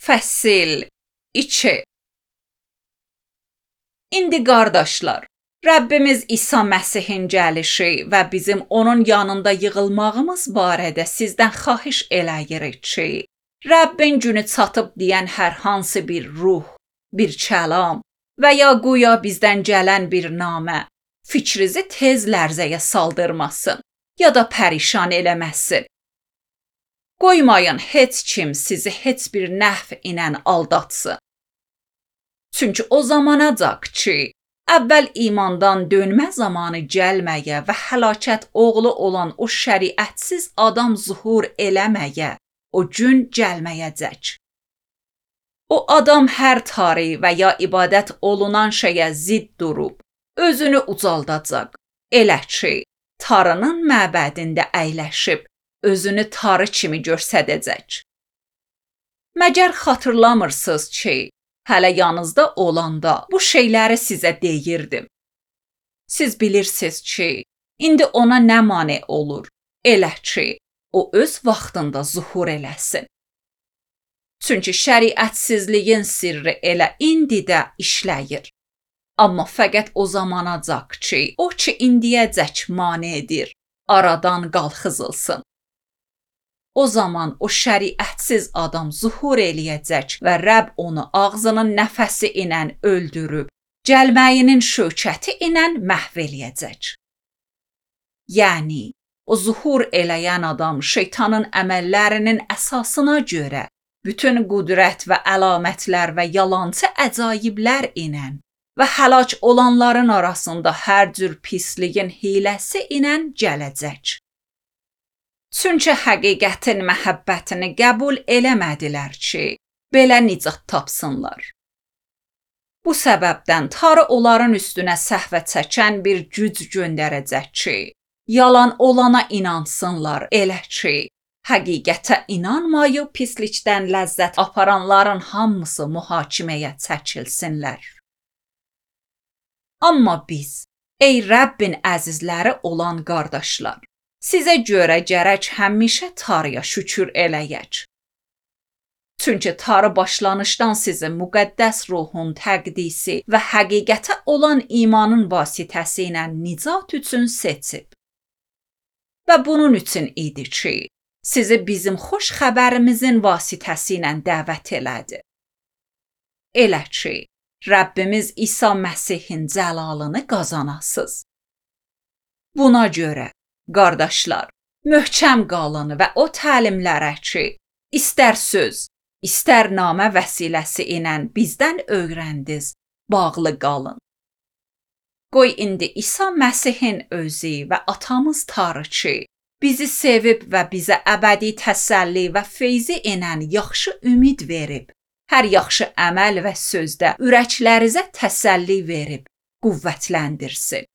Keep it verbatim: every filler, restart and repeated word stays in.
Fəsil iki. İndi qardaşlar, Rəbbimiz İsa Məsihin gəlişi və bizim onun yanında yığılmağımız barədə sizdən xahiş eləyirik ki, Rəbbin günü çatıb deyən hər hansı bir ruh, bir kəlam və ya guya bizdən gələn bir namə fikrinizi tez lərzəyə saldırmasın ya da pərişan eləməsin. Qoymayın heç kim sizi heç bir nəhv ilə aldatsın. Çünki o zamanacaq ki, əvvəl imandan dönmə zamanı gəlməyə və həlakət oğlu olan o şəriətsiz adam zuhur eləməyə, o gün gəlməyəcək. O adam hər tari və ya ibadət olunan şeyə zidd durub, özünü ucaldacaq. Elə ki, tarının məbədində əyləşib, özünü tarı kimi göstərəcək. Məgər xatırlamırsınız ki, hələ yanınızda olanda bu şeyləri sizə deyirdim. Siz bilirsiniz ki, indi ona nə mane olur? Elə ki, o öz vaxtında zuhur eləsin. Çünki şəriətsizliyin sirri elə indi də işləyir. Amma fəqət o zamanacaq ki, o ki indiyəcək mane edir, aradan qalxızılsın. O zaman o şəriətsiz adam zuhur eləyəcək və Rəbb onu ağzının nəfəsi ilə öldürüb, gəlməyinin şökəti ilə məhv eləyəcək. Yəni, o zuhur eləyən adam şeytanın əməllərinin əsasına görə bütün qüdrət və əlamətlər və yalançı əcaiblər ilə və həlak olanların arasında hər cür pisliyin hiləsi ilə gələcək. Çünki həqiqətin məhəbbətini qəbul eləmədilər ki, belə nicat tapsınlar. Bu səbəbdən Tanrı onların üstünə səhvə çəkən bir güc göndərəcək ki, yalan olana inansınlar, elə ki, həqiqətə inanmayıb pislikdən ləzzət aparanların hamısı mühakiməyə çəkilsinlər. Amma biz, ey Rəbbin əzizləri olan qardaşlar, sizə görə gərək həmişə Tanrıya şükür eləyək. Çünki Tanrı başlanışdan sizi müqəddəs ruhun təqdisi və həqiqətə olan imanın vasitəsi ilə nicat üçün seçib. Və bunun üçün idi ki, sizi bizim xoş xəbərimizin vasitəsi ilə dəvət elədi. Elə ki, Rəbbimiz İsa Məsihin cəlalını qazanasınız. Buna görə, qardaşlar, möhkəm qalın və o təlimlərə ki, istər söz, istər namə vəsiləsi ilə bizdən öyrəndiniz, bağlı qalın. Qoy indi İsa Məsihin özü və atamız Tanrı ki, bizi sevib və bizə əbədi təsəlli və feyzi ilə yaxşı ümid verib, hər yaxşı əməl və sözdə ürəklərinizə təsəlli verib, qüvvətləndirsin.